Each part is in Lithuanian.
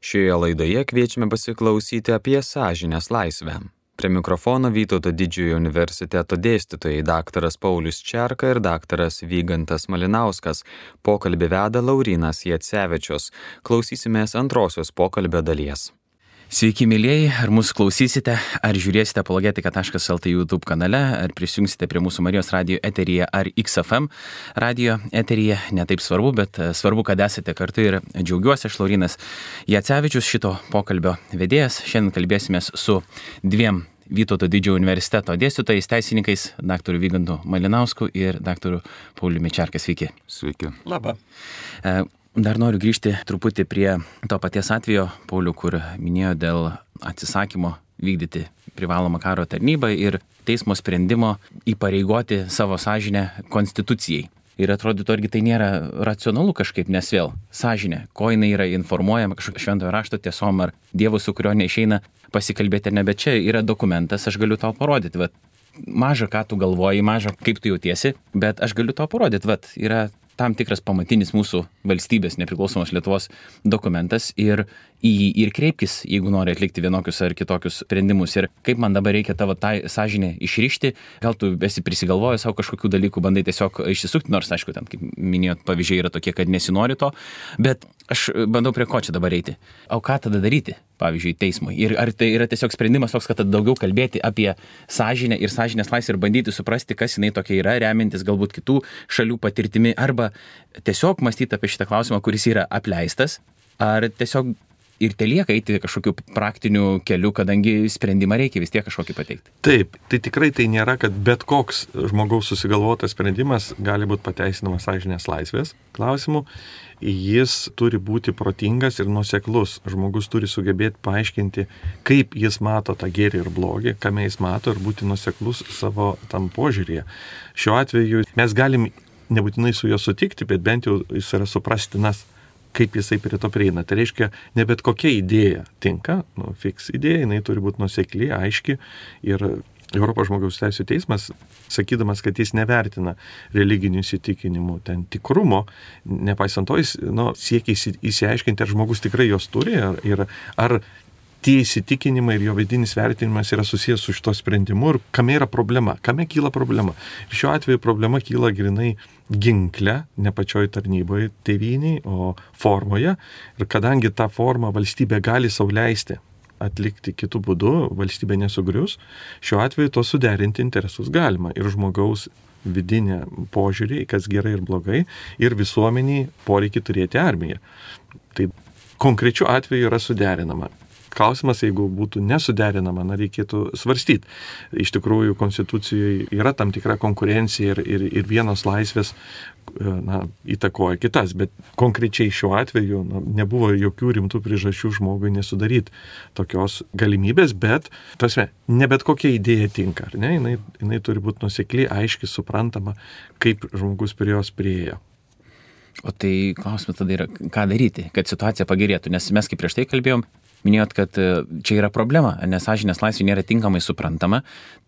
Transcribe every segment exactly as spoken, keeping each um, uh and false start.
Šioje laidoje kviečiame pasiklausyti apie sąžinės laisvę. Prie mikrofono Vytauto Didžiojo universiteto dėstytojai daktaras Paulius Čerka ir daktaras Vygantas Malinauskas. Pokalbį veda Laurynas Jacevičius. Klausysimės antrosios pokalbio dalies. Sveiki, mėlyjeji, ar mūsų klausysite, ar žiūrėsite apologetika taškas el tė YouTube kanale, ar prisijungsite prie mūsų Marijos radijo eteryje ar X F M radijo eteryje, netaip svarbu, bet svarbu, kad esate kartu ir džiaugiuosi. Aš Laurynas Jacevičius, šito pokalbio vedėjas. Šiandien kalbėsimės su dviem Vytauto Didžiojo universiteto dėstytojais, teisininkais, daktaru Vygantu Malinausku ir daktaru Pauliumi Čerka. Sveiki. Sveiki. Labą. E, Dar noriu grįžti truputį prie to paties atvejo, Pauliu, kur minėjo dėl atsisakymo vykdyti privalomą karo tarnybą ir teismo sprendimo įpareigoti savo sąžinę konstitucijai. Ir atrodytų, argi tai nėra racionalu kažkaip, nes vėl sąžinė, ko jinai yra informuojama kažkokio šventojo rašto tiesom ar Dievo, su kurio neišeina pasikalbėti ar ne, bet čia yra dokumentas, aš galiu tau parodyti, vat, maža ką tu galvoji, maža kaip tu jautiesi, bet aš galiu tau parodyti, vat, yra tam tikras pamatinis mūsų valstybės nepriklausomos Lietuvos dokumentas ir į jį ir kreipkis, jeigu nori atlikti vienokius ar kitokius sprendimus. Ir kaip man dabar reikia tavo tą sąžinę išrišti, gal tu esi prisigalvojęs savo kažkokių dalykų, bandai tiesiog išsisukti, nors aišku, ten, kaip minėjot, pavyzdžiai yra tokie, kad nesinori to, bet aš bandau prie ko čia dabar eiti. O ką tada daryti, pavyzdžiui, teismui? Ir ar tai yra tiesiog sprendimas toks, kad daugiau kalbėti apie sąžinę ir sąžinės laisvę ir bandyti suprasti, kas jinai tokia yra, remiantis galbūt kitų šalių patirtimi, arba tiesiog mąstyti apie šitą klausimą, kuris yra apleistas, ar tiesiog ir telieka eiti kažkokiu praktiniu keliu, kadangi sprendimą reikia vis tiek kažkokį pateikti. Taip, tai tikrai tai nėra, kad bet koks žmogaus susigalvotas sprendimas gali būti pateisinamas sąžinės laisvės klausimu. Jis turi būti protingas ir nuoseklus. Žmogus turi sugebėti paaiškinti, kaip jis mato tą gėrį ir blogį, kame jis mato, ir būti nuoseklus savo tam požiūrėje. Šiuo atveju mes galim nebūtinai su juo sutikti, bet bent jau jis yra suprastinas, kaip jisai prie to prieina. Tai reiškia, ne bet kokia idėja tinka, nu, fiks idėja, jinai turi būti nuosekli, aiški. Ir Europos žmogaus teisių teismas, sakydamas, kad jis nevertina religinių įsitikinimų ten tikrumo, nepaisant to, jis nu, siekia įsiaiškinti, ar žmogus tikrai jos turi, ar, ir, ar tie įsitikinimai ir jo vidinis vertinimas yra susijęs su šito sprendimu ir kame yra problema, kame kyla problema. Ir šiuo atveju problema kyla grinai ginkle, ne pačioj tarnyboje tėvyniai, o formoje. Ir kadangi tą formą valstybė gali sau leisti atlikti kitų būdų, valstybė nesugrius, šiuo atveju to suderinti interesus galima. Ir žmogaus vidinę požiūrį, kas gerai ir blogai, ir visuomeniai poreikį turėti armiją. Tai konkrečiu atveju yra suderinama. Klausimas, jeigu būtų nesuderinama, na, reikėtų svarstyti. Iš tikrųjų, konstitucijoje yra tam tikra konkurencija ir, ir, ir vienos laisvės na, įtakoja kitas, bet konkrečiai šiuo atveju na, nebuvo jokių rimtų priežasčių žmogui nesudaryti tokios galimybės, bet tasme, ne bet kokia idėja tinka, ar ne? Jinai, jinai turi būti nuosekli, aiški, suprantama, kaip žmogus prie jos priėjo. O tai klausimas tada yra, ką daryti, kad situacija pagerėtų, nes mes kaip prieš tai kalbėjom, minėjot, kad čia yra problema, nes sąžinės laisvė nėra tinkamai suprantama,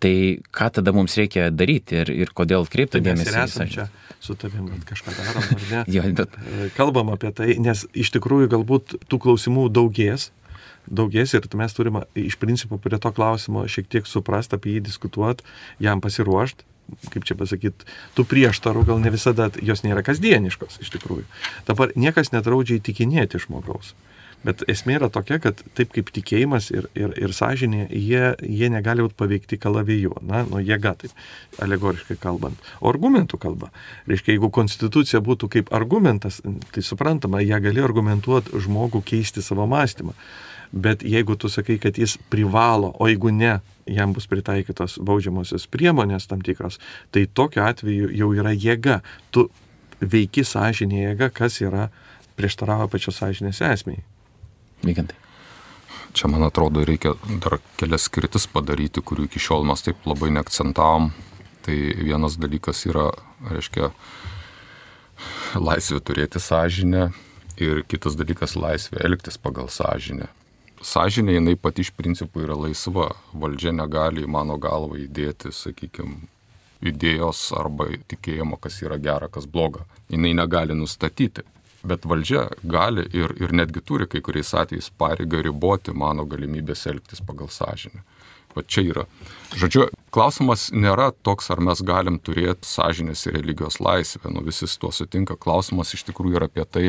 tai ką tada mums reikia daryti ir, ir kodėl kreipti dėmesį? Mes ir esam čia su tavim, kažką darom, ar ne? Jo, bet... Kalbam apie tai, nes iš tikrųjų galbūt tų klausimų daugės, daugės ir mes turime iš principo prie to klausimo šiek tiek suprast, apie jį diskutuoti, jam pasiruošti. Kaip čia pasakyti, tų prieštarų gal ne visada, jos nėra kasdieniškos iš tikrųjų. Dabar niekas nedraudžia įtikinėti žmogaus. Bet esmė yra tokia, kad taip kaip tikėjimas ir, ir, ir sąžinė, jie, jie negali būti paveikti kalaviju, na, nu jėga, taip alegoriškai kalbant. O argumentų kalba. Reiškia, jeigu konstitucija būtų kaip argumentas, tai suprantama, ją gali argumentuoti žmogų keisti savo mąstymą. Bet jeigu tu sakai, kad jis privalo, o jeigu ne, jam bus pritaikytos baudžiamosios priemonės tam tikros, tai tokiu atveju jau yra jėga. Tu veiki sąžinė jėga, kas yra prieštaravo pačios sąžinės esmei. Vygantai. Čia, man atrodo, reikia dar kelias skirtis padaryti, kurių iki šiol mes taip labai neakcentavom. Tai vienas dalykas yra, reiškia, laisvė turėti sąžinę ir kitas dalykas laisvė elgtis pagal sąžinę. Sąžinė, jinai pati iš principų yra laisva. Valdžia negali į mano galvą įdėti, sakykime, idėjos arba tikėjimo, kas yra gera, kas bloga. Jinai negali nustatyti. Bet valdžia gali ir, ir netgi turi kai kuriais atvejais pareigą riboti mano galimybės elgtis pagal sąžinę. Va čia yra. Žodžiu, klausimas nėra toks, ar mes galim turėti sąžinės ir religijos laisvę. Nu, visi su tuo sutinka. Klausimas iš tikrųjų yra apie tai,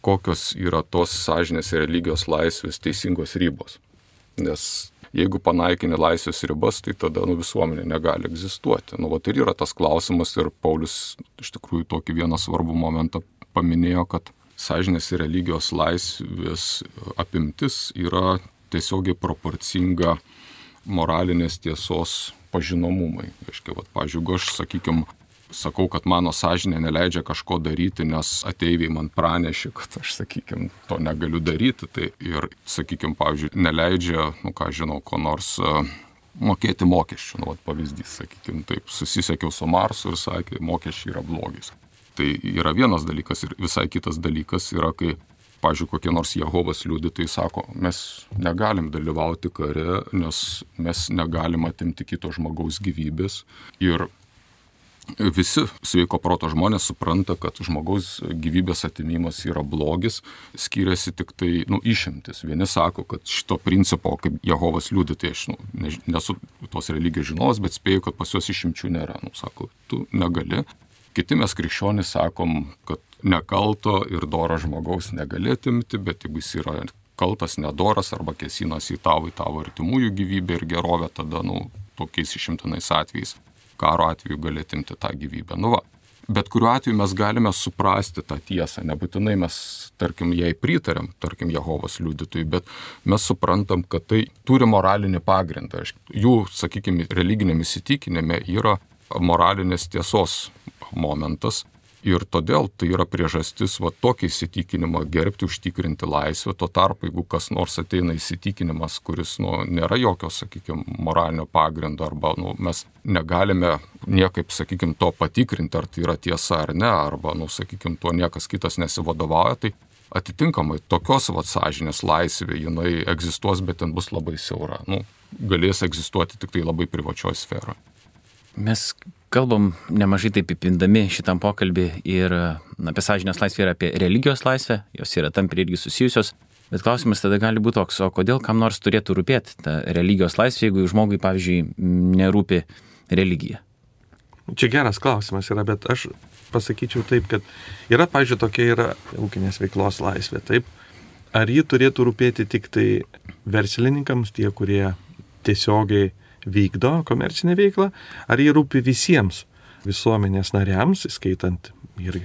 kokios yra tos sąžinės ir religijos laisvės teisingos ribos. Nes jeigu panaikini laisvės ribas, tai tada nu, visuomenė negali egzistuoti. Nu, va, tai yra tas klausimas ir Paulius iš tikrųjų tokį vieną svarbų momentą paminėjo, kad sąžinės ir religijos laisvės apimtis yra tiesiogiai proporcinga moralinės tiesos pažinomumai. Reiškia, vat, pavyzdžiui, jeigu aš, sakykime, sakau, kad mano sąžinė neleidžia kažko daryti, nes ateiviai man pranešė, kad aš, sakykime, to negaliu daryti, tai ir, sakykime, pavyzdžiui, neleidžia, nu ką žinau, ko nors uh, mokėti mokesčių. Nu, vat, pavyzdys, sakykime, taip, susisiekiau su Marsu ir sakė, mokesčiai yra blogis. Tai yra vienas dalykas ir visai kitas dalykas yra, kai pavyzdžiui, kokie nors Jehovos liudytojai sako, mes negalim dalyvauti kare, nes mes negalim atimti kito žmogaus gyvybės. Ir visi sveiko proto žmonės supranta, kad žmogaus gyvybės atimimas yra blogis, skiriasi tik tai, nu, išimtis. Vieni sako, kad šito principo, kaip Jehovos liudytojai, aš nu, nesu tos religijos žinovas, bet spėju, kad pas juos išimčių nėra. Nu, sako, tu negali. Kiti mes krikščionys sakom, kad nekalto ir doro žmogaus negali atimti, bet jeigu jis yra kaltas, nedoras arba kėsinas į tavo, į tavo artimųjų gyvybę ir gerovę, tada, nu, tokiais išimtinais atvejais, karo atveju gali atimti tą gyvybę. Nu va, bet kuriuo atveju mes galime suprasti tą tiesą, nebūtinai mes, tarkim, jai pritarėm, tarkim, Jehovos liudytojai, bet mes suprantam, kad tai turi moralinį pagrindą. Jų, sakykime, religiniam įsitikinime yra moralinės tiesos momentas. Ir todėl tai yra priežastis va, tokį įsitikinimą gerbti, užtikrinti laisvę. Tuo tarpu, jeigu kas nors ateina įsitikinimas, kuris nu, nėra jokio, sakykime, moralinio pagrindo, arba nu, mes negalime niekaip, sakykime, to patikrinti, ar tai yra tiesa ar ne, arba, nu, sakykime, tuo niekas kitas nesivadovauja, tai atitinkamai tokios va, sąžinės laisvė, jinai egzistuos, bet ten bus labai siaura. Nu, galės egzistuoti tik tai labai privačioje sferoje. Mes kalbam nemažai taip įpindami šitam pokalbį ir na, apie sąžinės laisvę ir apie religijos laisvę, jos yra tampriai irgi susijusios, bet klausimas tada gali būti toks, o kodėl kam nors turėtų rūpėti ta religijos laisvė, jeigu žmogui, pavyzdžiui, nerūpi religija? Čia geras klausimas yra, bet aš pasakyčiau taip, kad yra, pavyzdžiui, tokia yra ūkinės veiklos laisvė, taip? Ar ji turėtų rūpėti tik tai verslininkams, tie, kurie tiesiogiai vykdo komercinę veiklą, ar jie rūpi visiems visuomenės nariams, skaitant ir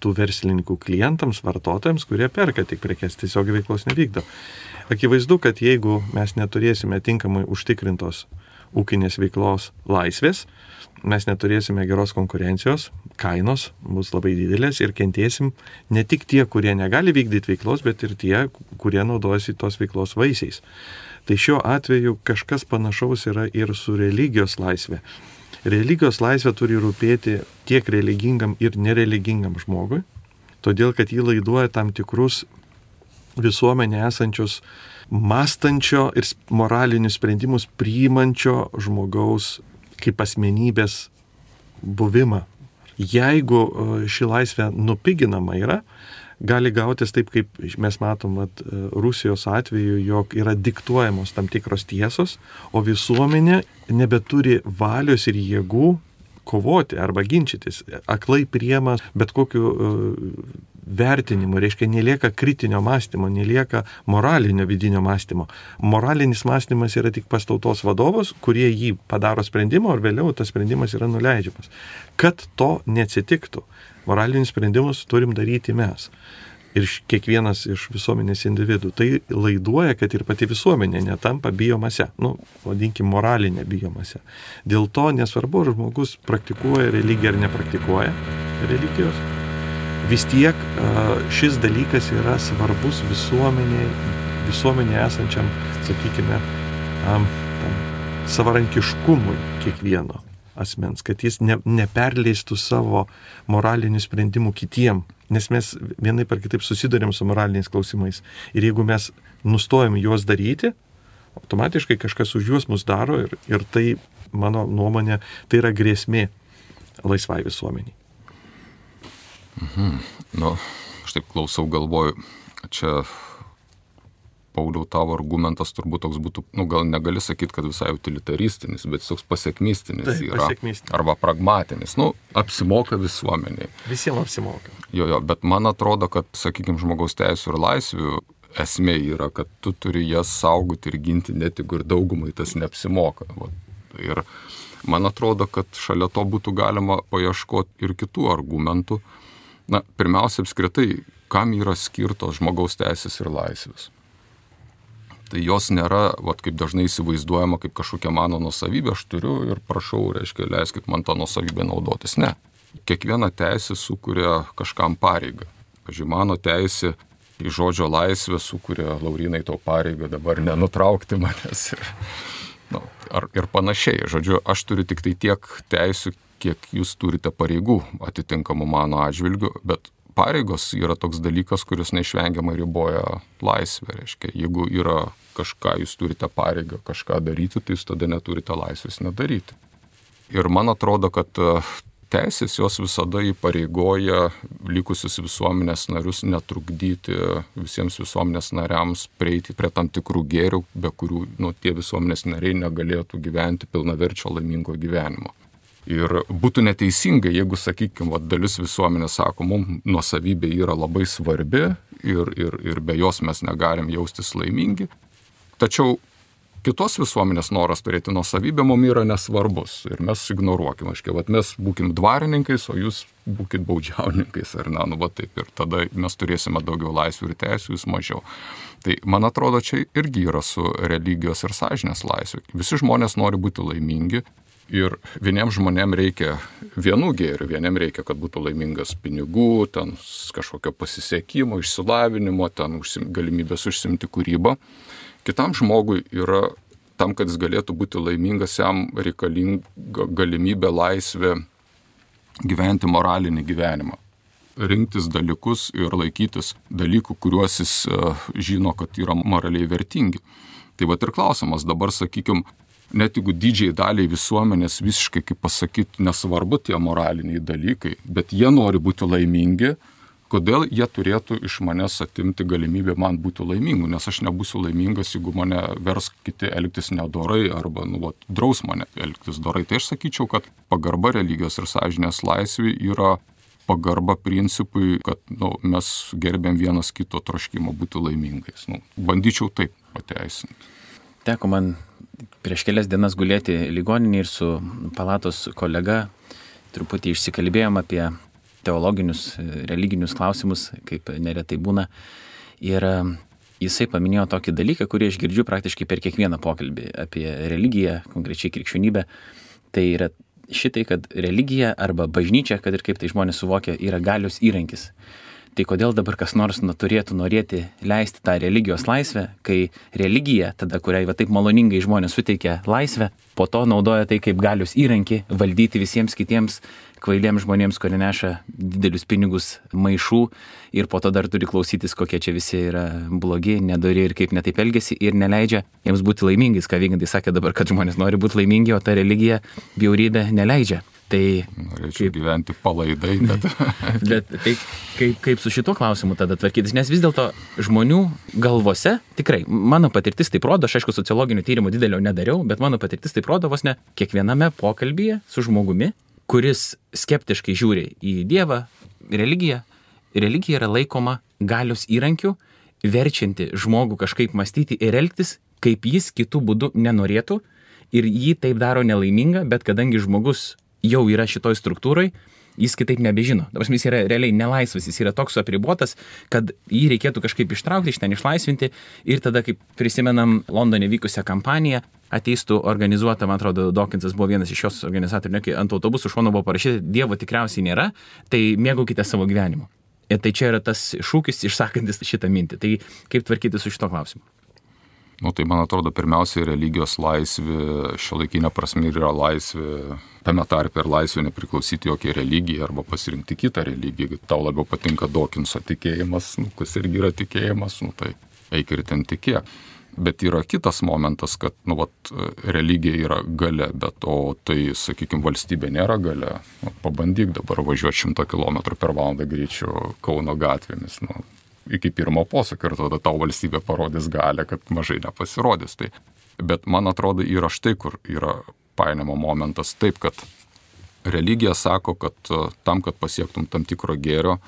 tų verslininkų klientams, vartotojams, kurie perka tik prekes, tiesiog veiklos nevykdo. Akivaizdu, kad jeigu mes neturėsime tinkamai užtikrintos ūkinės veiklos laisvės, mes neturėsime geros konkurencijos, kainos bus labai didelės ir kentėsim ne tik tie, kurie negali vykdyti veiklos, bet ir tie, kurie naudojasi tos veiklos vaisiais. Tai šiuo atveju kažkas panašaus yra ir su religijos laisvė. Religijos laisvė turi rūpėti tiek religingam ir nereligingam žmogui, todėl kad jį laiduoja tam tikrus visuomenė esančius mąstančio ir moralinius sprendimus priimančio žmogaus kaip asmenybės buvimą. Jeigu ši laisvė nupiginama yra, gali gautis taip, kaip mes matom at, Rusijos atveju, jog yra diktuojamos tam tikros tiesos, o visuomenė nebeturi valios ir jėgų kovoti arba ginčytis. Aklai priema bet kokiu uh, vertinimu, reiškia, nelieka kritinio mąstymo, nelieka moralinio vidinio mąstymo. Moralinis mąstymas yra tik pas tautos vadovus, kurie jį padaro sprendimą, ir vėliau tas sprendimas yra nuleidžiamas. Kad to neatsitiktų, moralinius sprendimus turim daryti mes. Ir kiekvienas iš visuomenės individų. Tai laiduoja, kad ir pati visuomenė netampa biomase. Nu, vadinkim, moralinė biomase. Dėl to nesvarbu, ar žmogus praktikuoja religiją ar nepraktikuoja religijos. Vis tiek šis dalykas yra svarbus visuomenė, visuomenė esančiam, sakykime, tam savarankiškumui kiekvieno asmens, kad jis ne, neperleistų savo moralinių sprendimų kitiem, nes mes vienaip ar kitaip susidurėm su moraliniais klausimais. Ir jeigu mes nustojam juos daryti, automatiškai kažkas už juos mus daro ir, ir tai, mano nuomonė, tai yra grėsmė laisvai visuomeniai. Mhm. Nu, aš taip klausau, galvoju, čia Pauliau, tavo argumentas turbūt toks būtų, nu gal negali sakyti, kad visai utilitaristinis, bet toks pasiekmistinis Taip, yra. pasiekmistinis. Arba pragmatinis. Nu, apsimoka visuomeniai. Visiems apsimoka. Jo, jo, bet man atrodo, kad, sakykime, žmogaus teisų ir laisvių esmė yra, kad tu turi jas saugoti ir ginti, net jeigu ir daugumai tas neapsimoka. Va. Ir man atrodo, kad šalia to būtų galima paieškoti ir kitų argumentų. Na, pirmiausia, apskritai, kam yra skirtos žmogaus teisės ir laisvės. Tai jos nėra, vat, kaip dažnai įsivaizduojama, kaip kažkokia mano nuosavybė, aš turiu ir prašau, reiškia, leiskit man tą nuosavybę naudotis. Ne. Kiekviena teisė sukuria kažkam pareigą. Pavyzdžiui, mano teisė į žodžio laisvę sukuria, Laurynai, to pareigą dabar nenutraukti manęs ir, nu, ar, ir panašiai. Žodžiu, aš turiu tik tai tiek teisių, kiek jūs turite pareigų atitinkamų mano atžvilgių, bet pareigos yra toks dalykas, kuris neišvengiamai riboja laisvę. Reiškia, jeigu yra kažką, jūs turite pareigą kažką daryti, tai jūs tada neturite laisvės nedaryti. Ir man atrodo, kad teisės jos visada įpareigoja likusius visuomenės narius netrukdyti visiems visuomenės nariams prieiti prie tam tikrų gėrių, be kurių nu, tie visuomenės nariai negalėtų gyventi pilnaverčio laimingo gyvenimo. Ir būtų neteisinga, jeigu, sakykime, dalis visuomenės sako, mums nuosavybė yra labai svarbi ir, ir, ir be jos mes negalim jaustis laimingi. Tačiau kitos visuomenės noras turėti nuosavybę mums yra nesvarbus ir mes ignoruokim. Aiškiai, vat mes būkim dvarininkais, o jūs būkit baudžiauninkais. Ar ne, nu, va taip. Ir tada mes turėsime daugiau laisvių ir teisių, jūs mažiau. Tai man atrodo, čia irgi yra su religijos ir sąžinės laisvė. Visi žmonės nori būti laimingi. Ir vieniems žmonėms reikia vienų gėrių, vieniems reikia, kad būtų laimingas pinigų, ten kažkokio pasisekimo, išsilavinimo, ten užsim, galimybės užsimti kūrybą. Kitam žmogui yra, tam, kad jis galėtų būti laimingas, jam reikalinga galimybė, laisvė gyventi moralinį gyvenimą. Rinktis dalykus ir laikytis dalykų, kuriuos jis uh, žino, kad yra moraliai vertingi. Tai vat ir klausimas dabar, sakykime, net jeigu didžiai daliai visuomenės visiškai, kaip pasakyti, nesvarbu tie moraliniai dalykai, bet jie nori būti laimingi, kodėl jie turėtų iš manęs atimti galimybę man būti laimingu, nes aš nebūsiu laimingas, jeigu mane vers kiti elgtis nedorai arba nu, vat, draus mane elgtis dorai. Tai aš sakyčiau, kad pagarba religijos ir sąžinės laisvė yra pagarba principui, kad nu, mes gerbėm vienas kito troškimo būti laimingais. Nu, bandyčiau taip pateisinti. Teko man prieš kelias dienas gulėti ligoninėje ir su palatos kolega truputį išsikalbėjom apie teologinius, religinius klausimus, kaip neretai būna. Ir jisai paminėjo tokį dalyką, kurį aš girdžiu praktiškai per kiekvieną pokalbį apie religiją, konkrečiai krikščionybę. Tai yra šitai, kad religija arba bažnyčia, kad ir kaip tai žmonės suvokia, yra galios įrankis. Tai kodėl dabar kas nors turėtų norėti leisti tą religijos laisvę, kai religija, tada kuriai va taip maloningai žmonės suteikia laisvę, po to naudoja tai kaip galios įrankį valdyti visiems kitiems kvailiems žmonėms, kurie neša didelius pinigus maišų ir po to dar turi klausytis, kokie čia visi yra blogi, nedori ir kaip netaip elgesi ir neleidžia jiems būti laimingais, ką Vygantai sakė dabar, kad žmonės nori būti laimingi, o ta religija bjaurybė neleidžia. Tai norėčiau kaip, gyventi palaidai, bet... bet tai kaip, kaip su šituo klausimu tada tvarkytis, nes vis dėlto žmonių galvose, tikrai, mano patirtis taip rodo, aš aišku sociologinių tyrimų didelio nedariau, bet mano patirtis taip rodo vos ne kiekviename pokalbyje su žmogumi, kuris skeptiškai žiūri į Dievą, religiją. Religija yra laikoma galios įrankiu, verčianti žmogų kažkaip mąstyti ir elgtis, kaip jis kitų būdų nenorėtų ir jį taip daro nelaimingą, bet kadangi žmogus jau yra šitoj struktūrai, jis kitaip nebežino. Dabar jis yra realiai nelaisvas, jis yra toks apribotas, kad jį reikėtų kažkaip ištraukti, iš ten išlaisvinti ir tada, kaip prisimenam Londone vykusią kampaniją, ateistų organizuota, man atrodo, Dawkinsas buvo vienas iš šios organizatorių, kai ant autobusų šono buvo parašyta, Dievo tikriausiai nėra, tai mėgaukite savo gyvenimu. Ir tai čia yra tas šūkis išsakantis šitą mintį. Tai kaip tvarkyti su šito klausimu? Nu, tai man atrodo, pirmiausiai religijos laisvė, šiuolaikinė prasme yra laisvė, tame tarpe ir laisvė nepriklausyti jokiai religijai arba pasirinkti kitą religiją. Tau labiau patinka Dawkinso tikėjimas, nu, kas irgi yra tikėjimas, nu, tai eik ir ten tikėk. Bet yra kitas momentas, kad, nu, vat, religija yra galia, bet o tai, sakykime, valstybė nėra galia. Nu, pabandyk dabar važiuoti šimtą kilometrų per valandą greičiu Kauno gatvėmis, nu, iki pirmo posūkio ir tada tau valstybė parodys galę, kad mažai nepasirodys. Tai. Bet man atrodo, yra štai, kur yra painimo momentas taip, kad religija sako, kad tam, kad pasiektum tam tikro gėrio,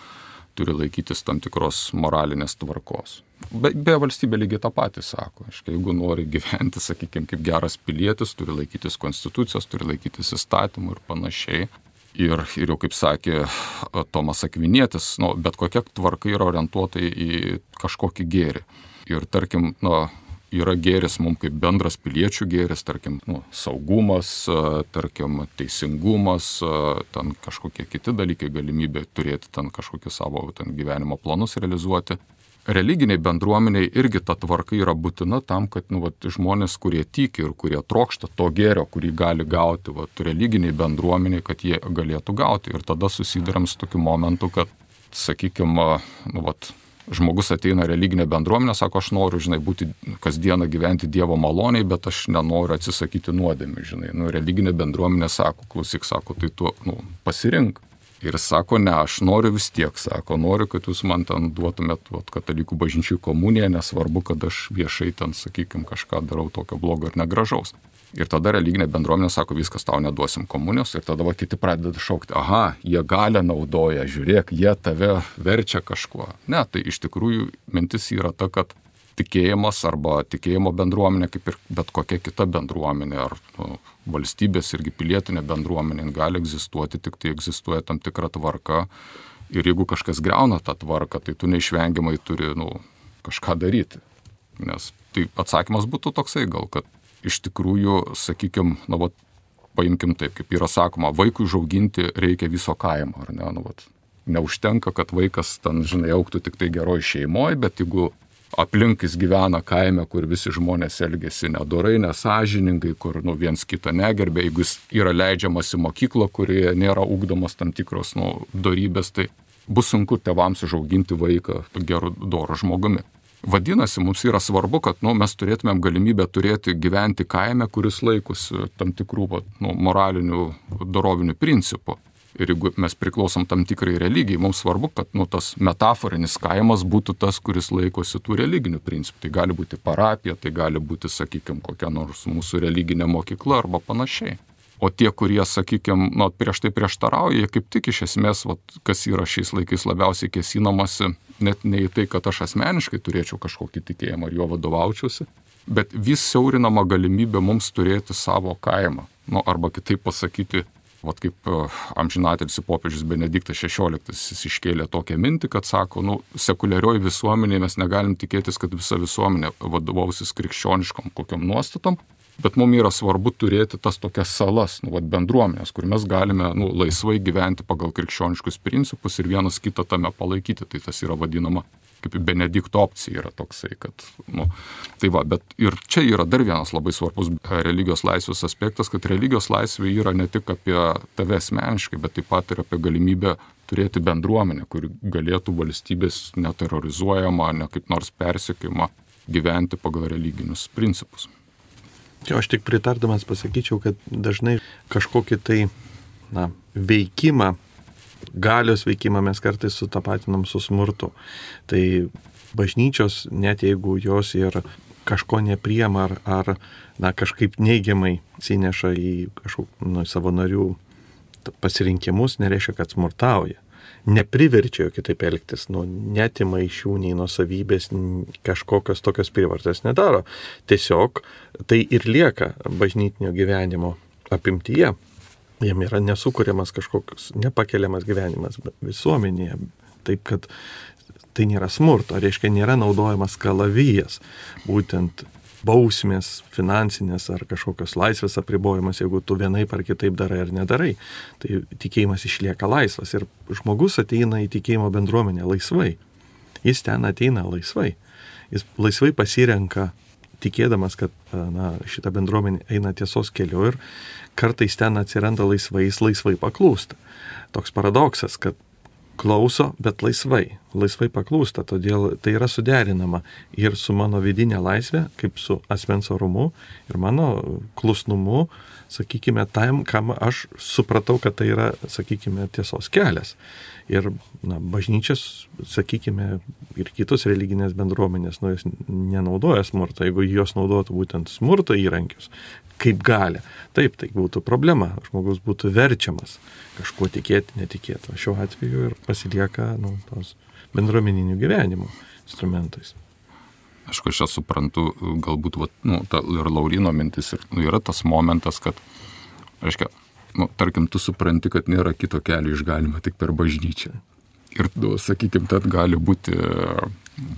turi laikytis tam tikros moralinės tvarkos. Be, be valstybė lygiai tą patį sako. Aiškiai, jeigu nori gyventi, sakykime, kaip geras pilietis, turi laikytis konstitucijos, turi laikytis įstatymų ir panašiai. Ir, ir jau kaip sakė Tomas Akvinietis, nu, bet kokia tvarka yra orientuota į kažkokį gėrį. Ir tarkim, nu, yra gėris mums kaip bendras piliečių gėris, tarkim, nu, saugumas, tarkim, teisingumas, ten kažkokie kiti dalykai, galimybė turėti ten kažkokius savo ten gyvenimo planus realizuoti. Religiniai bendruomeniai irgi ta tvarka yra būtina tam, kad nu, vat, žmonės, kurie tiki ir kurie trokšta to gėrio, kurį gali gauti, vat, religiniai bendruomeniai, kad jie galėtų gauti. Ir tada susiduriam su tokiu momentu, kad, sakykime, nu, vat, žmogus ateina religinė bendruomenė, sako, aš noriu, žinai, būti kasdieną gyventi Dievo maloniai, bet aš nenoriu atsisakyti nuodėmių, žinai. Nu, religinė bendruomenė sako, klausyk, sako, tai tu, nu, pasirink. Ir sako, ne, aš noriu vis tiek, sako, noriu, kad jūs man ten duotumėt vat, katalikų bažnyčių komuniją, nesvarbu, kad aš viešai ten, sakykime, kažką darau tokio blogo ir negražaus. Ir tada religinė bendruomenė sako, viskas, tau neduosim komunijos, ir tada va, kiti pradeda šaukti, aha, jie galią naudoja, žiūrėk, jie tave verčia kažkuo. Ne, tai iš tikrųjų mintis yra ta, kad tikėjimas arba tikėjimo bendruomenė, kaip ir bet kokia kita bendruomenė, ar nu, valstybės irgi pilietinė bendruomenė gali egzistuoti, tik tai egzistuoja tam tikra tvarka. Ir jeigu kažkas greuna tą tvarką, tai tu neišvengiamai turi nu, kažką daryti. Nes tai atsakymas būtų toksai gal, kad iš tikrųjų, sakykime, nu, vat, paimkim taip, kaip yra sakoma, vaikui užauginti reikia viso kaimo, ar ne? Nu, vat, neužtenka, kad vaikas ten, žinai, augtų tik tai geroj šeimoje, bet jeigu aplink jis gyvena kaime, kur visi žmonės elgesi nedorai, nesąžiningai, kur nu, viens kitą negerbė, jeigu jis yra leidžiamas į mokyklą, kurioje nėra ugdomos tam tikros nu, dorybės, tai bus sunku tėvams užauginti vaiką geru doru žmogumi. Vadinasi, mums yra svarbu, kad nu, mes turėtumėm galimybę turėti gyventi kaime, kuris laikosi tam tikrų nu, moralinių, dorovinių principų. Ir jeigu mes priklausom tam tikrai religijai, mums svarbu, kad nu, tas metaforinis kaimas būtų tas, kuris laikosi tų religinių principų. Tai gali būti parapija, tai gali būti, sakykime, kokia nors mūsų religinė mokykla arba panašiai. O tie, kurie, sakykime, nu, prieš tai prieštarauja, jie kaip tik iš esmės, vat, kas yra šiais laikais labiausiai kėsinamasi, net ne į tai, kad aš asmeniškai turėčiau kažkokį tikėjimą ar jo vadovaučiausi, bet vis siaurinama galimybė mums turėti savo kaimą. Nu, arba kitaip pasakyti, vat kaip amžinatilsį popiežius Benediktas šešioliktas jis iškėlė tokią mintį, kad sako, nu, sekuliarioj visuomenėje mes negalim tikėtis, kad visa visuomenė vadovausis krikščioniškom kokiam nuostatom, bet mums yra svarbu turėti tas tokias salas, nu, vat bendruomenės, kur mes galime nu, laisvai gyventi pagal krikščioniškus principus ir vienas kitą tame palaikyti. Tai tas yra vadinama kaip Benedikto opcija yra toksai, kad, nu, tai va, bet ir čia yra dar vienas labai svarbus religijos laisvės aspektas, kad religijos laisvė yra ne tik apie tave asmeniškai, bet taip pat ir apie galimybę turėti bendruomenę, kuri galėtų valstybės neterrorizuojama, ne kaip nors persekiojama gyventi pagal religinius principus. Jo, aš tik pritardamas pasakyčiau, kad dažnai kažkokį tai na, veikimą, galios veikimą mes kartais sutapatinam su smurtu. Tai bažnyčios, net jeigu jos ir kažko nepriema ar, ar na, kažkaip neigiamai atsineša į kažkokį nu, savo narių pasirinkimus, nereiškia, kad smurtauja. Nepriverčia jo kitaip elgtis, nu, netima iš jų nei nuosavybės, kažkokios tokios prievartės nedaro. Tiesiog tai ir lieka bažnytinio gyvenimo apimtyje. Jam yra nesukuriamas kažkoks nepakeliamas gyvenimas visuomenėje. Taip, kad tai nėra smurto, reiškia, nėra naudojamas kalavijas, būtent bausmės, finansinės ar kažkokios laisvės apribojimas, jeigu tu vienaip ar kitaip darai ar nedarai. Tai tikėjimas išlieka laisvas ir žmogus ateina į tikėjimo bendruomenę laisvai. Jis ten ateina laisvai. Jis laisvai pasirenka, tikėdamas, kad na, šita bendruomenė eina tiesos keliu ir kartais ten atsiranda laisvai, jis laisvai paklūsta. Toks paradoksas, kad klauso, bet laisvai. laisvai paklūsta, todėl tai yra suderinama ir su mano vidinė laisvė, kaip su asmens orumu ir mano klusnumu, sakykime, tam, kam aš supratau, kad tai yra, sakykime, tiesos kelias. Ir na, bažnyčias, sakykime, ir kitos religinės bendruomenės, nu, jos nenaudoja smurto, jeigu jos naudotų būtent smurto įrankius, kaip gali. Taip, tai būtų problema, žmogus būtų verčiamas kažkuo tikėti, netikėti. O šiuo atveju ir pasilieka nu, tos bendruomeninių gyvenimo instrumentais. Aišku, aš čia suprantu, galbūt va, nu, ta, ir Laurino mintis, ir, nu, yra tas momentas, kad, reiškia, nu, tarkim, tu supranti, kad nėra kito kelio išgalima tik per bažnyčią. Ir, nu, sakykime, tad gali būti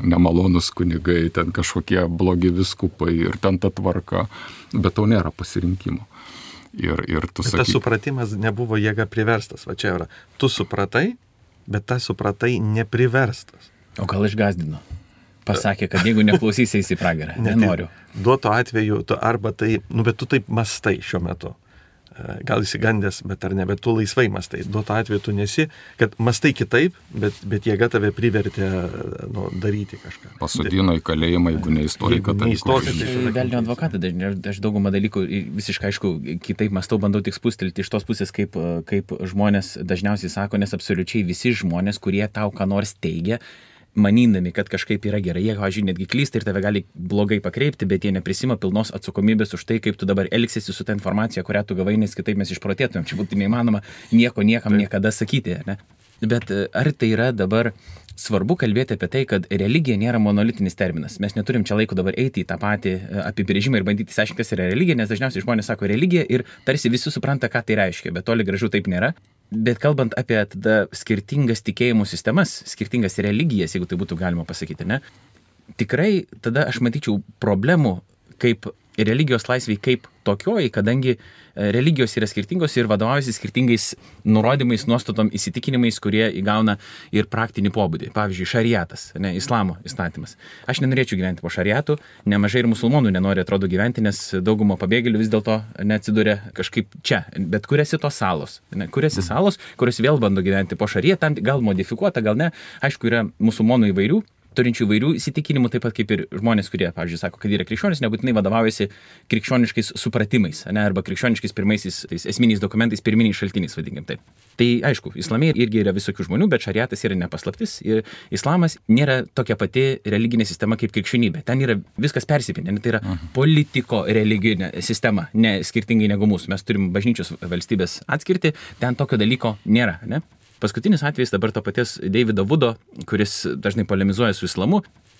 nemalonus kunigai, ten kažkokie blogi viskupai ir ten ta tvarka, bet tau nėra pasirinkimo. Ir, ir tu sakyk... Tas supratimas nebuvo jėga priverstas, va čia yra. Tu supratai, bet tas supratai nepriverstas. O gal išgazdino? Pasakė, kad jeigu neklausysi į pragarą, nenoriu. Duoto atveju, tu arba tai, nu, bet tu taip mastai šiuo metu. Gal įsigandęs, bet ar ne, bet tu laisvai mastai. Duoto atveju tu nesi, kad mastai kitaip, bet, bet jėga tave privertė nu, daryti kažką. Pasodino į kalėjimą, jeigu neįstoji, kad tai įstoji. Velnio advokatą, aš daugumą dalykų visiškai aišku, kitaip mastau, bandau tik spustelti iš tos pusės, kaip, kaip žmonės dažniausiai sako, nes absoliučiai visi žmonės, kurie tau ką nors teigia, manydami, kad kažkaip yra gerai, jie, pavyzdžiui, netgi klysta ir tave gali blogai pakreipti, bet jie neprisima pilnos atsakomybės už tai, kaip tu dabar elgsiesi su ta informacija, kurią tu gavai, nes kitaip mes išprotėtumėm. Čia būtų neįmanoma nieko niekam niekada sakyti. Ne? Bet ar tai yra dabar svarbu kalbėti apie tai, kad religija nėra monolitinis terminas. Mes neturim čia laiko dabar eiti į tą patį apibrėžimą ir bandyti išsiaiškinti, kas yra religija, nes dažniausiai žmonės sako religija ir tarsi visi supranta, ką tai reiškia, bet toli gražu taip nėra. Bet kalbant apie tada skirtingas tikėjimų sistemas, skirtingas religijas, jeigu tai būtų galima pasakyti, ne, tikrai tada aš matyčiau problemų kaip religijos laisvai kaip tokioji, kadangi religijos yra skirtingos ir vadovaujasi skirtingais nurodymais, nuostatom, įsitikinimais, kurie įgauna ir praktinį pobūdį. Pavyzdžiui, šariatas, ne, islamo įstatymas. Aš nenorėčiau gyventi po šariatų, nemažai ir musulmonų nenori, atrodo, gyventi, nes daugumo pabėgėlių vis dėlto neatsiduria kažkaip čia. Bet kuriasi tos salos, ne, kuriasi salos, kurios vėl bando gyventi po šariatą, gal modifikuota, gal ne. Aišku, yra musulmonų įvairių, turinčių įvairių įsitikinimų, taip pat kaip ir žmonės, kurie, pavyzdžiui, sako, kad yra krikščionys, nebūtinai vadovaujasi krikščioniškais supratimais, ne, arba krikščioniškais pirmaisiais tais esminiais dokumentais, pirminiais šaltiniais, vadinkim taip. Tai aišku, islame irgi yra visokių žmonių, bet šariatas yra nepaslaptis ir islamas nėra tokia pati religinė sistema kaip krikščionybė. Ten yra viskas persipinę, tai yra politiko religinė sistema, ne skirtingai negu mūsų. Mes turim bažnyčios valstybės atskirti, ten tokio dalyko nėra, ne? Paskutinis atvejis dabar to paties Davido Vudo, kuris dažnai polemizuoja su islamu,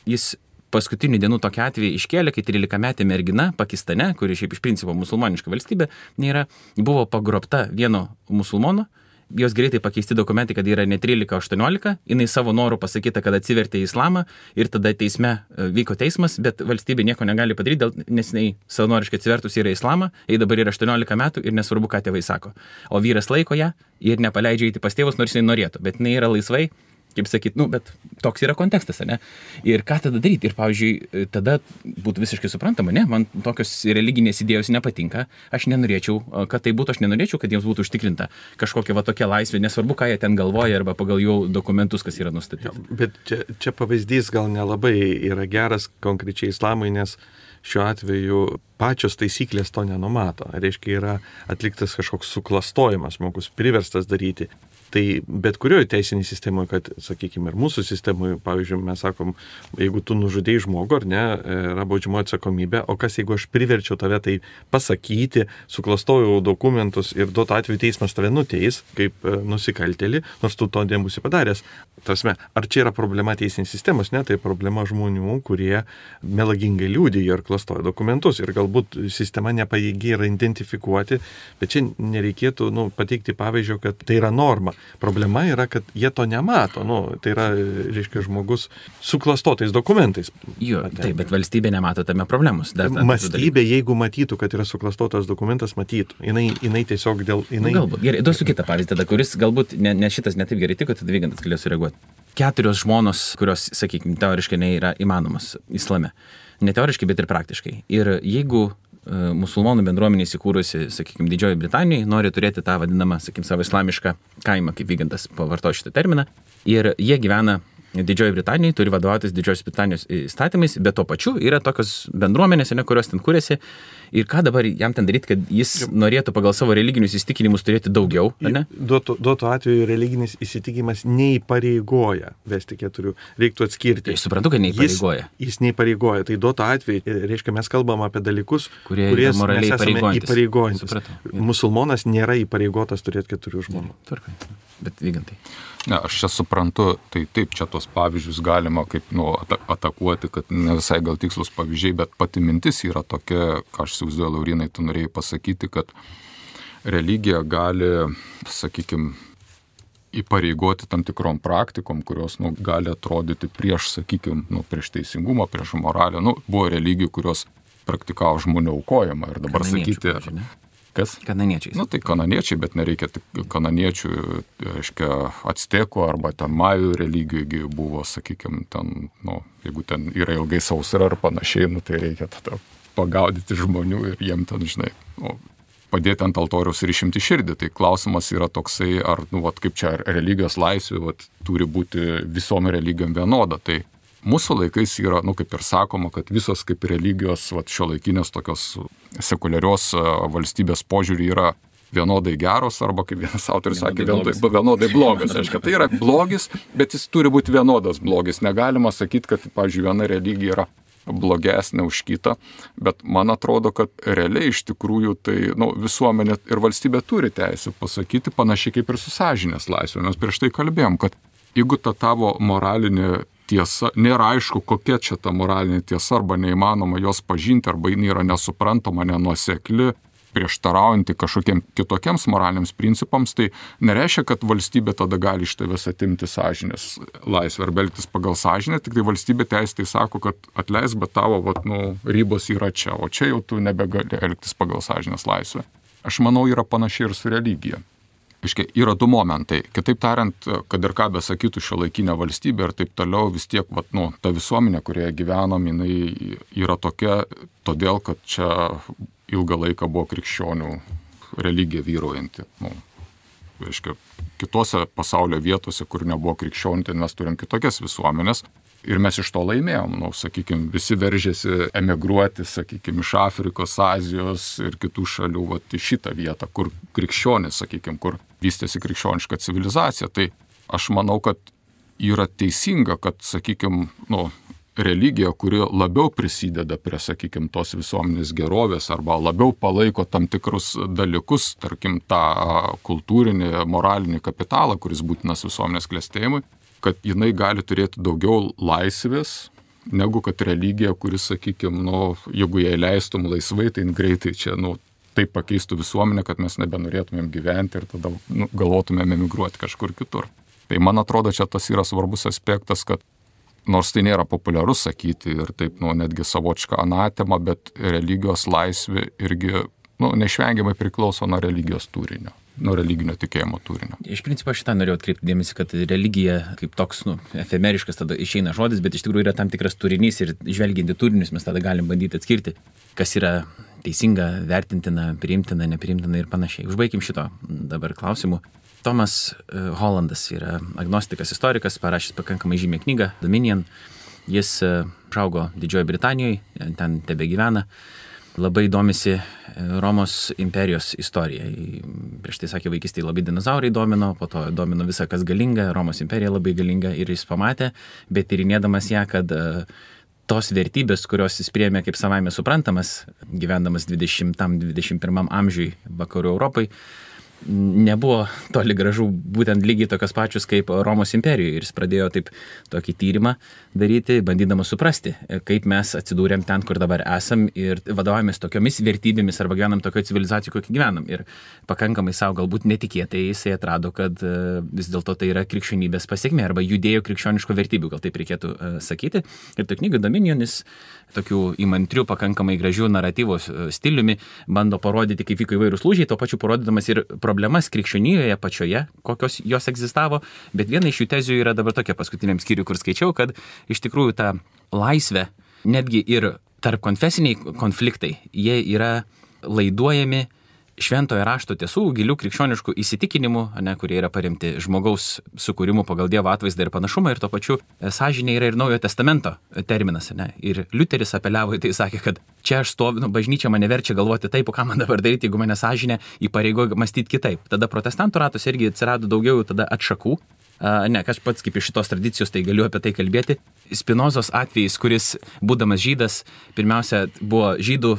jis paskutinių dienų tokį atvejį iškėlė, kai trylikametė mergina Pakistane, kuri šiaip iš principo musulmoniška valstybė, nėra, buvo pagrobta vieno musulmono, jos greitai pakeisti dokumentai, kad yra ne trylika, o aštuoniolika, jinai savo norų pasakyta, kad atsivertė į islamą ir tada teisme vyko teismas, bet valstybė nieko negali padaryti, nes jinai savanoriškai atsivertus yra į islamą, jai dabar yra aštuoniolika metų ir nesvarbu, ką tėvai sako. O vyras laiko ją ir nepaleidžia eiti pas tėvus, nors jinai norėtų, bet jinai yra laisvai, kaip sakyt, nu, bet toks yra kontekstas, ne? Ir ką tada daryti? Ir, pavyzdžiui, tada būtų visiškai suprantama, ne, man tokios religinės idėjos nepatinka, aš nenorėčiau, kad tai būtų, aš nenorėčiau, kad jiems būtų užtikrinta kažkokia va tokia laisvė, nesvarbu, ką jie ten galvoja arba pagal jų dokumentus, kas yra nustatyta. Bet čia, čia pavyzdys gal nelabai yra geras konkrečiai islamui, nes šiuo atveju pačios taisyklės to nenumato. Reiškia, yra atliktas kažkoks suklastojimas, žmogus priverstas daryti. Tai bet kurioje teisinėje sistemoje, kad, sakykime, ir mūsų sistemoje, pavyzdžiui, mes sakom, jeigu tu nužudėjai žmogų, ar ne, yra baudžiamoji atsakomybė, o kas jeigu aš priverčiau tave tai pasakyti, suklastojau dokumentus ir duotu atveju teismas tave nuteis kaip nusikaltėlį, nors tu to nebūsi padaręs. Tarsi, ar čia yra problema teisinės sistemos? Ne, tai problema žmonių, kurie melagingai liudijo ir klastojo dokumentus ir galbūt sistema nepajėgi yra identifikuoti, bet čia nereikėtų nu, pateikti pavyzdžio, kad tai yra norma. Problema yra, kad jie to nemato. Nu, tai yra, reiškia, žmogus su klastotais dokumentais. Jo, taip, bet valstybė nemato tame problemos. Dar, dar, Mąstybė, jeigu matytų, kad yra suklastotas dokumentas, matytų. Jinai, jinai tiesiog dėl... Jinai... Galbūt. Gerai, duosiu kitą pavyzdį tada, kuris galbūt ne, ne šitas netaip gerai tiko, tada Vygantas galės sureaguoti. Keturios žmonos, kurios, sakykime, teoriškai nėra įmanomas islame. Ne teoriškai, bet ir praktiškai. Ir jeigu musulmonų bendruomenė įsikūrusi, sakykime, Didžioji Britanijai, nori turėti tą vadinamą, sakykime, savo islamišką kaimą, kaip Vygantas pavartojo šitą terminą. Ir jie gyvena Didžioji Britanija turi vadovautis Didžiosios Britanijos įstatymais, bet tuo pačiu yra tokios bendruomenės, ne, kurios ten kūrėsi. Ir ką dabar jam ten daryti, kad jis norėtų pagal savo religinius įsitikinimus turėti daugiau, ne? Duotų, duotų atveju religinis įsitikinimas neįpareigoja vesti keturių. Reiktų atskirti. Aš suprantu, kad neįpareigoja. Jis, jis neįpareigoja. Tai duotų atveju, reiškia, mes kalbam apie dalykus, kurie mes esame įpareigojantis. Supratau. Musulmonas nėra įpareigotas turėti keturių žmonių. Tvarkai. Bet Vygantai. Ne, aš čia suprantu, tai taip, čia tos pavyzdžius galima kaip nu, atakuoti, kad ne visai gal tikslus pavyzdžiai, bet pati mintis yra tokia, ką aš įsivaizduoju, Laurinai, tu norėjai pasakyti, kad religija gali, sakykime, įpareigoti tam tikrom praktikom, kurios nu, gali atrodyti prieš, sakykime, nu, prieš teisingumą, prieš moralę. Nu, buvo religijų, kurios praktikavo žmonių aukojimą ir dabar Kananiečių, sakyti... pavyzdžiui, Kas? Kananiečiai. Nu, tai kananiečiai, bet nereikia tik kananiečių, reiškia, actekų arba ten majų religijų buvo, sakykime, ten, nu, jeigu ten yra ilgai sausra ar panašiai, nu, tai reikia tada pagaudyti žmonių ir jiem ten, žinai, nu, padėti ant altoriaus ir išimti širdį. Tai klausimas yra toksai, ar, nu, vat, kaip čia religijos laisvė, vat, turi būti visom religijom vienoda. Tai mūsų laikais yra, nu, kaip ir sakoma, kad visos kaip religijos, vat, šiuolaikinės tokios sekuliarios valstybės požiūrį yra vienodai geros arba, kaip vienas autorius sakė, vienodai, vienodai blogas. Aiškia, tai yra blogis, bet jis turi būti vienodas blogis. Negalima sakyti, kad, pavyzdžiui, viena religija yra blogesnė už kitą, bet man atrodo, kad realiai iš tikrųjų tai nu, visuomenė ir valstybė turi teisę pasakyti panašiai kaip ir su sąžinės laisvė. Mes prieš tai kalbėjom, kad jeigu ta tavo moralinė tiesa, nėra aišku, kokia čia ta moralinė tiesa, arba neįmanoma jos pažinti, arba jinai yra nesuprantama, nenuosekli, prieštaraujanti kažkokiem kitokiems moraliniams principams, tai nereiškia, kad valstybė tada gali iš tavęs atimti sąžinės laisvę arba elgtis pagal sąžinę, tik tai valstybė teisė sako, kad atleis, bet tavo vat, nu, ribos yra čia, o čia jau tu nebegali elgtis pagal sąžinės laisvę. Aš manau, yra panašiai ir su religija. Iškia, yra du momentai. Kitaip tariant, kad ir ką besakytų šiuolaikinė valstybė ir taip toliau, vis tiek vat, nu, ta visuomenė, kurioje gyvenam, jinai yra tokia, todėl, kad čia ilgą laiką buvo krikščionių religija vyraujanti. Nu, reiškia, kitose pasaulio vietose, kur nebuvo krikščionių, tai mes turim kitokias visuomenės. Ir mes iš to laimėjom, nu, sakykime, visi veržėsi emigruoti, sakykime, iš Afrikos, Azijos ir kitų šalių, vat, į šitą vietą, kur krikščionis, sakykime, kur vystėsi krikščioniška civilizacija. Tai aš manau, kad yra teisinga, kad, sakykime, nu, religija, kuri labiau prisideda prie, sakykime, tos visuomenės gerovės arba labiau palaiko tam tikrus dalykus, tarkim, tą kultūrinį, moralinį kapitalą, kuris būtinas visuomenės klestėjimui, kad jinai gali turėti daugiau laisvės, negu kad religija, kuris, sakykime, nu, jeigu jai leistum laisvai, tai greitai čia, nu, taip pakeistų visuomenę, kad mes nebenorėtumėm gyventi ir tada nu, galvotumėm emigruoti kažkur kitur. Tai man atrodo, čia tas yra svarbus aspektas, kad nors tai nėra populiarus sakyti ir taip, nu, netgi savotiška anatema, bet religijos laisvė irgi, nu, neišvengiamai priklauso nuo religijos turinio, nuo religinio tikėjimo turinio. Iš principo šitą norėjau atkreipti dėmesį, kad religija kaip toks, nu, efemeriškas tada išeina žodis, bet iš tikrųjų yra tam tikras turinys ir žvelgiant į turinius mes tada galim bandyti atskirti, kas yra teisinga, vertintina, priimtina, nepriimtina ir panašiai. Užbaikim šito dabar klausimu. Tomas Hollandas yra agnostikas, istorikas, parašęs pakankamai žymią knygą Dominion. Jis užaugo Didžiojoje Britanijoje, ten tebegyvena. Labai domisi Romos imperijos istorija. Prieš tai sakė, vaikystėje labai dinozaurai domino, po to domino visą, kas galinga, Romos imperija labai galinga ir jis pamatė, bet tyrinėdamas ją, kad tos vertybės, kurios jis priėmė kaip savaime suprantamas, gyvendamas dvidešimtam dvidešimt pirmam amžiui vakarų Europai, nebuvo toli gražu būtent lygiai tokios pačios kaip Romos imperijoje. Ir jis pradėjo taip tokį tyrimą daryti, bandydamas suprasti, kaip mes atsidūrėm ten, kur dabar esam ir vadovaujamės tokiomis vertybėmis arba gyvenam tokioje civilizacijoje, kokį gyvenam. Ir pakankamai savo galbūt netikėtai jisai atrado, kad vis dėlto tai yra krikščionybės pasiekmė arba judėjo krikščioniško vertybių, gal taip reikėtų sakyti. Ir to knygų Dominionis tokių įmantrių, pakankamai gražių naratyvos stiliumi bando parodyti, kaip vyko įvairūs lūžiai, to pačiu parodydamas ir problemas krikščionijoje pačioje, kokios jos egzistavo, bet viena iš jų tezių yra dabar tokia paskutiniam skyriui, kur skaičiau, kad iš tikrųjų ta laisvė, netgi ir tarp konfesiniai konfliktai, jie yra laiduojami šventojo rašto tiesų, gilių krikščioniškų įsitikinimų, ne, kurie yra paremti žmogaus sukūrimu pagal Dievo atvaizdą ir panašumą, ir to pačiu sąžinė yra ir Naujojo testamento terminas. Ne. Ir Liuteris apeliavo į tai, sakė, kad čia aš stoviu, nu, bažnyčia mane verčia galvoti taip, o ką man dabar daryti, jeigu mane sąžinė įpareigoja mąstyti kitaip. Tada protestantų ratuose irgi atsirado daugiau tada atšakų. Uh, ne, aš pats kaip iš šitos tradicijos, tai galiu apie tai kalbėti. Spinozos atvejis, kuris, būdamas žydas, pirmiausia buvo žydų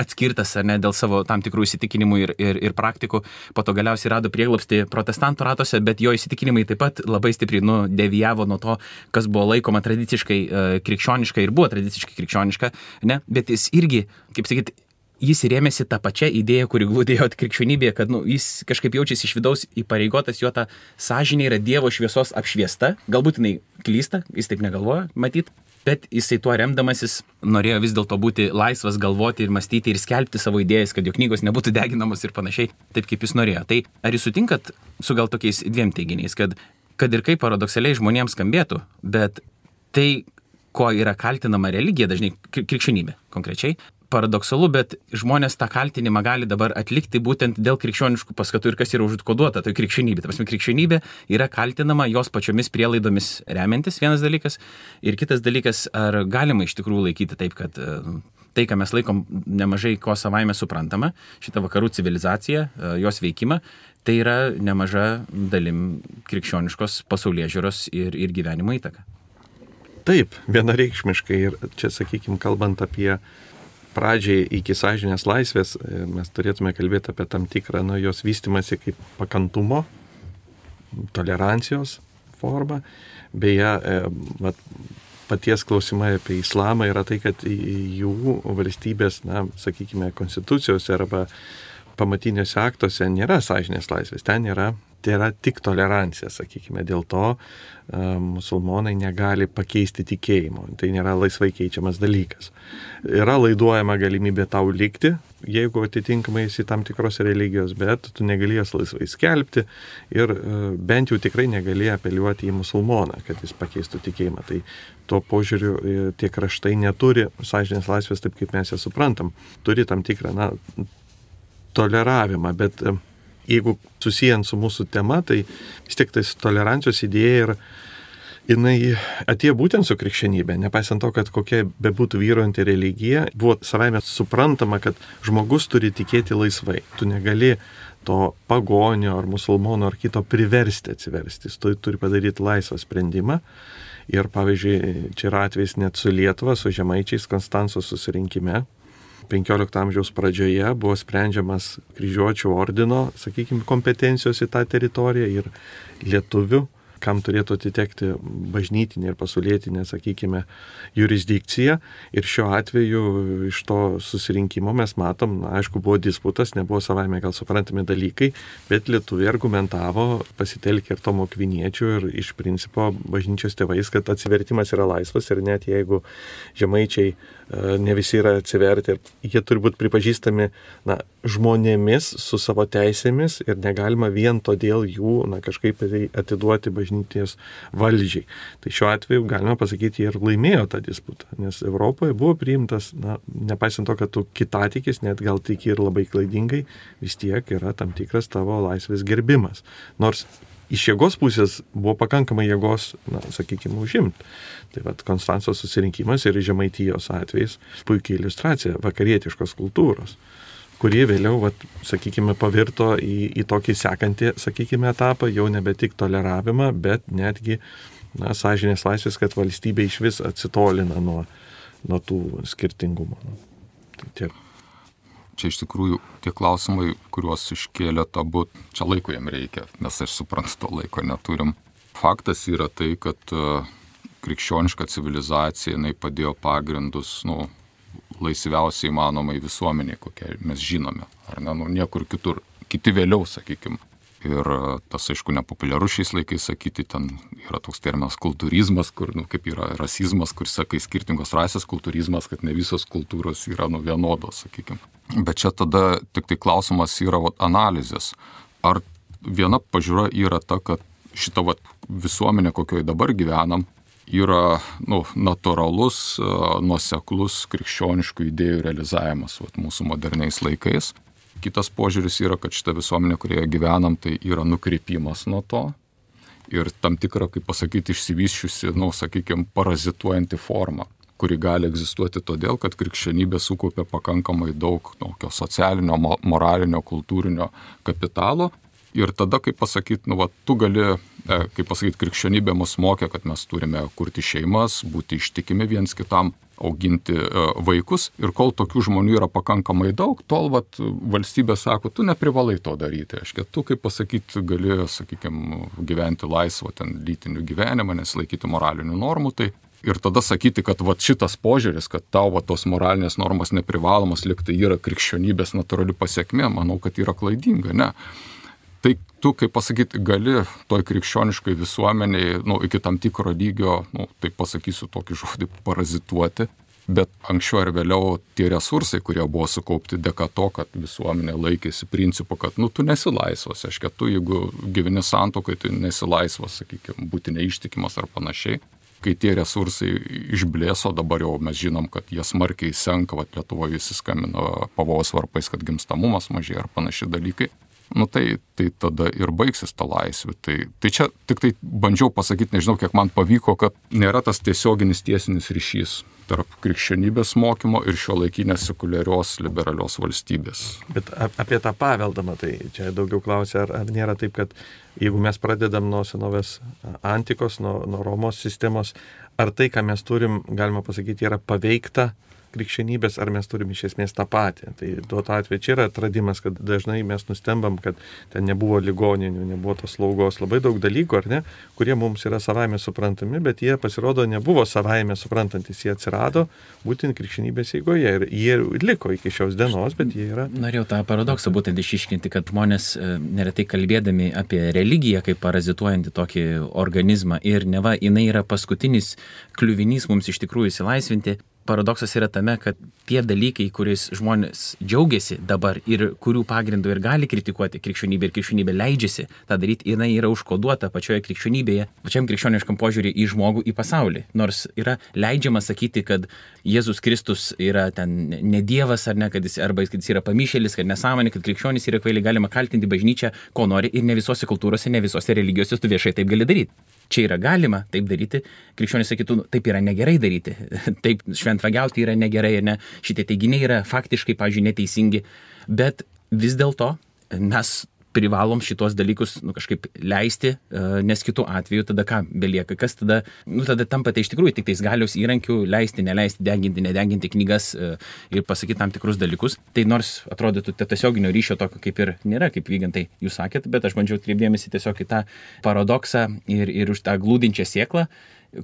atskirtas, ar ne, dėl savo tam tikrų įsitikinimų ir, ir, ir praktikų, po to galiausiai rado prieglobstį protestantų ratuose, bet jo įsitikinimai taip pat labai stipriai nu, devijavo nuo to, kas buvo laikoma tradiciškai uh, krikščioniška ir buvo tradiciškai krikščioniška, ne, bet jis irgi, kaip sakyti, jis rėmėsi tą pačią idėją, kuri glūdėjo krikščionybėje, kad nu, jis kažkaip jaučiasi iš vidaus įpareigotas, jo ta sąžinė yra Dievo šviesos apšviesta, galbūt jinai klysta, jis taip negalvoja, matyt, bet jisai tuo remdamasis norėjo vis dėlto būti laisvas galvoti ir mąstyti ir skelbti savo idėjas, kad jo knygos nebūtų deginamos ir panašiai, taip kaip jis norėjo. Tai ar jūs sutinkat su gal tokiais dviem teiginiais, kad, kad ir kaip paradoksaliai žmonėms skambėtų, bet tai, ko yra kaltinama religija, dažnai krikščionybė konkrečiai, paradoksalu, bet žmonės tą kaltinimą gali dabar atlikti būtent dėl krikščioniškų paskatų ir kas yra užkoduota, tai krikščionybė. Ta prasme, krikščionybė yra kaltinama jos pačiomis prielaidomis remiantis, vienas dalykas. Ir kitas dalykas, ar galima iš tikrųjų laikyti taip, kad tai, ką mes laikom nemažai ko savaime suprantama, šitą vakarų civilizaciją, jos veikimą, tai yra nemaža dalim krikščioniškos pasaulėžiūros ir, ir gyvenimo įtaka. Taip, vienareikšmiškai. Ir čia, sakykime, kalbant apie pradžiai iki sąžinės laisvės, mes turėtume kalbėti apie tam tikrą nu, jos vystimąsi kaip pakantumo, tolerancijos formą. Beje, vat, paties klausimai apie islamą yra tai, kad jų valstybės, na, sakykime, konstitucijose arba pamatiniuose aktuose nėra sąžinės laisvės, ten yra, tai yra tik tolerancija, sakykime, dėl to musulmonai negali pakeisti tikėjimo. Tai nėra laisvai keičiamas dalykas. Yra laiduojama galimybė tau likti, jeigu atitinkamai esi tam tikros religijos, bet tu negali jas laisvai skelbti ir bent jau tikrai negali apeliuoti į musulmoną, kad jis pakeistų tikėjimą. Tai tuo požiūriu tie kraštai neturi sąžinės laisvės taip, kaip mes ją suprantam. Turi tam tikrą, na, toleravimą, bet jeigu susijant su mūsų tema, tai vis tiek tais tolerancijos idėja ir jinai atėjo būtent su krikščionybė, nepaisant to, kad kokia bebūtų vyruojanti religija, buvo savaime suprantama, kad žmogus turi tikėti laisvai. Tu negali to pagonio ar musulmono ar kito priversti atsiversti. Tu turi padaryti laisvą sprendimą. Ir pavyzdžiui, čia yra atvejs net su Lietuva, su žemaičiais Konstancijos susirinkime. penkiolikto amžiaus pradžioje buvo sprendžiamas kryžiuočių ordino, sakykime, kompetencijos į tą teritoriją ir lietuvių, kam turėtų atitekti bažnytinė ir pasaulietinė, sakykime, jurisdikcija. Ir šiuo atveju iš to susirinkimo mes matom, na, aišku, buvo disputas, nebuvo savaime gal suprantami dalykai, bet lietuviai argumentavo, pasitelkė ir Tomo Akviniečių ir iš principo bažnyčios tėvais, kad atsivertimas yra laisvas ir net jeigu žemaičiai ne visi yra atsiverti, jie turi būti pripažįstami, na, žmonėmis su savo teisėmis ir negalima vien todėl jų, na, kažkaip atiduoti bažnytinės valdžiai. Tai šiuo atveju galima pasakyti, jie ir laimėjo tą disputą, nes Europoje buvo priimtas, na, nepaisant to, kad tu kitatikis, net gal tiki ir labai klaidingai, vis tiek yra tam tikras tavo laisvės gerbimas. Nors iš jėgos pusės buvo pakankamai jėgos, na, sakykime, užimti. Tai vat Konstancijos susirinkimas ir Žemaitijos atvejais puikiai iliustracija vakarietiškos kultūros, kurie vėliau, vat, sakykime, pavirto į, į tokį sekantį, sakykime, etapą, jau nebe tik toleravimą, bet netgi, na, sąžinės laisvės, kad valstybė iš vis atsitolina nuo, nuo tų skirtingumų. Tai tiek. Čia iš tikrųjų tie klausimai, kuriuos iškėlė abu, čia laiko jam reikia, nes aš suprantu, to laiko neturim. Faktas yra tai, kad krikščioniška civilizacija, jinai padėjo pagrindus, nu, laisviausiai įmanomai visuomeniai, kokią mes žinome, ar ne, nu, niekur kitur, kiti vėliau, sakykime. Ir tas, aišku, nepopuliaru šiais laikais sakyti, ten yra toks terminas kultūrizmas, kur, nu, kaip yra rasizmas, kur sakai skirtingos rasės, kultūrizmas, kad ne visos kultūros yra, nu, vienodos, sakykime. Bet čia tada tik tai klausimas yra, vat, analizės. Ar viena pažiūra yra ta, kad šita, vat, visuomenė, kokioje dabar gyvenam, yra, nu, natūralus, nuoseklus krikščioniškų idėjų realizavimas, vat, mūsų moderniais laikais. Kitas požiūris yra, kad šita visuomenė, kurioje gyvenam, tai yra nukreipimas nuo to ir tam tikra, kaip pasakyti, išsivysčiusi, nu, sakykime, parazituojanti forma, kuri gali egzistuoti todėl, kad krikščionybė sukaupė pakankamai daug tokio socialinio, moralinio, kultūrinio kapitalo. Ir tada, kaip pasakyti, nu, va, tu gali, kaip pasakyti, krikščionybė mus mokė, kad mes turime kurti šeimas, būti ištikimi viens kitam, auginti vaikus. Ir kol tokių žmonių yra pakankamai daug, tol vat, valstybė sako, tu neprivalai to daryti. Aiškia, tu, kaip pasakyti, gali, sakykime, gyventi laisvą ten lytinių gyvenimą, nesilaikyti moralinių normų. Tai ir tada sakyti, kad vat, šitas požiūris, kad tau vat, tos moralinės normos neprivalomas, lyg tai yra krikščionybės natūrali pasiekmė, manau, kad yra klaidinga, ne. Tai tu, kaip pasakyti, gali toj krikščioniškai visuomeniai, nu, iki tam tikro lygio, nu, tai pasakysiu tokį žodį, parazituoti, bet anksčiau ar vėliau tie resursai, kurie buvo sukaupti dėka to, kad visuomenė laikėsi principu, kad, nu, tu nesi laisvas, aiškia, tu, jeigu gyveni santuokai, tai nesi laisvas, sakykime, būti neištikimas ar panašiai. Kai tie resursai išblėso, dabar jau mes žinom, kad jie smarkiai senka, vat Lietuvoje visi skambino pavojaus varpais, kad gimstamumas mažėja ar panašiai dalykai. Nu tai, tai tada ir baigsis ta laisvė. Tai, tai čia tik tai bandžiau pasakyti, nežinau, kiek man pavyko, kad nėra tas tiesioginis tiesinis ryšys tarp krikščionybės mokymo ir šiuolaikinės sekuliarios liberalios valstybės. Bet apie tą paveldą, matai, čia daugiau klausia, ar, ar nėra taip, kad jeigu mes pradedam nuo senovės antikos, nuo, nuo Romos sistemos, ar tai, ką mes turim, galima pasakyti, yra paveikta krikščionybės, ar mes turim iš esmės tą patį. Tai duo to atveju čia yra atradimas, kad dažnai mes nustembam, kad ten nebuvo ligoninių, nebuvo tos slaugos, labai daug dalykų, ar ne, kurie mums yra savaime suprantami, bet jie pasirodo nebuvo savaime suprantantis, jie atsirado būtent krikščionybės eigoje ir jie liko iki šios dienos, bet jie yra... Norėjau tą paradoksą būtent išiškinti, kad žmonės neretai kalbėdami apie religiją kaip parazituojantį tokį organizmą ir neva jinai yra paskutinis kliuvinys mums iš tikrųjų įsilaisvinti. Paradoksas yra tame, kad tie dalykai, kuriais žmonės džiaugiasi dabar ir kurių pagrindų ir gali kritikuoti krikščionybę ir krikščionybė leidžiasi tą daryti, jinai yra užkoduota pačioje krikščionybėje, pačiam krikščioniškam požiūrį į žmogų, į pasaulį. Nors yra leidžiama sakyti, kad Jėzus Kristus yra ten ne Dievas ar ne, kad jis, arba kad jis yra pamišėlis, kad nesąmonė, kad krikščionys yra kvailiai, galima kaltinti bažnyčią, ko nori ir ne visose kultūrose, ne visose religijose tu viešai taip gali daryti. Čia yra galima taip daryti, krikščionys sakytų, taip yra negerai daryti, taip šventvagiauti yra negerai ir ne, šitie teiginiai yra faktiškai, pavyzdžiui, neteisingi, bet vis dėlto mes privalom šitos dalykus nu, kažkaip leisti, nes kitų atveju tada ką belieka, kas tada, nu tada tampate iš tikrųjų tik tais galios įrankių leisti, neleisti, deginti, nedeginti knygas ir pasakyti tam tikrus dalykus. Tai nors atrodytų tiesioginio ryšio tokio kaip ir nėra, kaip Vygantai jūs sakėt, bet aš bandžiau atkreipdėmėsi tiesiog į tą paradoksą ir, ir už tą glūdinčią sėklą,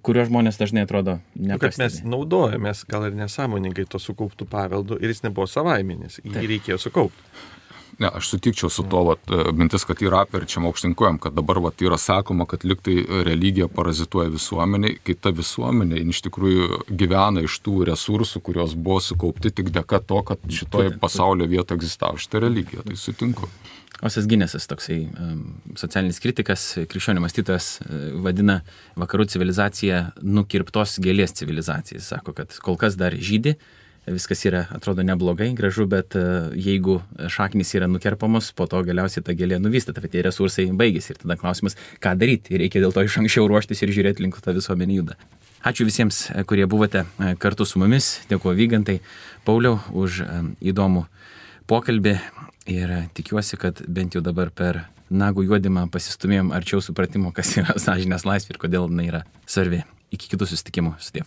kurio žmonės dažnai atrodo nepastebi. Kad mes naudojamės gal ir nesąmoningai to sukauptų paveldų ir jis nebuvo savaiminis, jį Taip. reikėjo sukaupti. Ne, aš sutikčiau su to, vat, mintis, kad yra apverčiama aukštinkojam, kad dabar vat, yra sakoma, kad liktai religija parazituoja visuomeniai, kai ta visuomenė iš tikrųjų gyvena iš tų resursų, kurios buvo sukaupti tik dėka to, kad šitoje pasaulio vietoje egzistavo šitą religiją. Tai sutinku. Osas Ginesas, toksai um, socialinis kritikas, krikščionių mąstytojas, uh, vadina vakarų civilizaciją nukirptos gėlės civilizacija. Jis sako, kad kol kas dar žydi, viskas yra, atrodo, neblogai, gražu, bet uh, jeigu šaknys yra nukerpamos, po to galiausiai ta gėlė nuvysta, tai tie resursai baigėsi. Ir tada klausimas, ką daryti. Ir reikia dėl to iš anksčiau ruoštis ir žiūrėti link tą visuomenį juda. Ačiū visiems, kurie buvote kartu su mumis. Dėkuoju Vygantai, Pauliau, už um, įdomų pokalbį ir tikiuosi, kad bent jau dabar per nagų juodimą pasistumėjom arčiau supratimo, kas yra sąžinės laisvė ir kodėl jinai yra svarbi. Iki kitų susitikimų. Sudiev.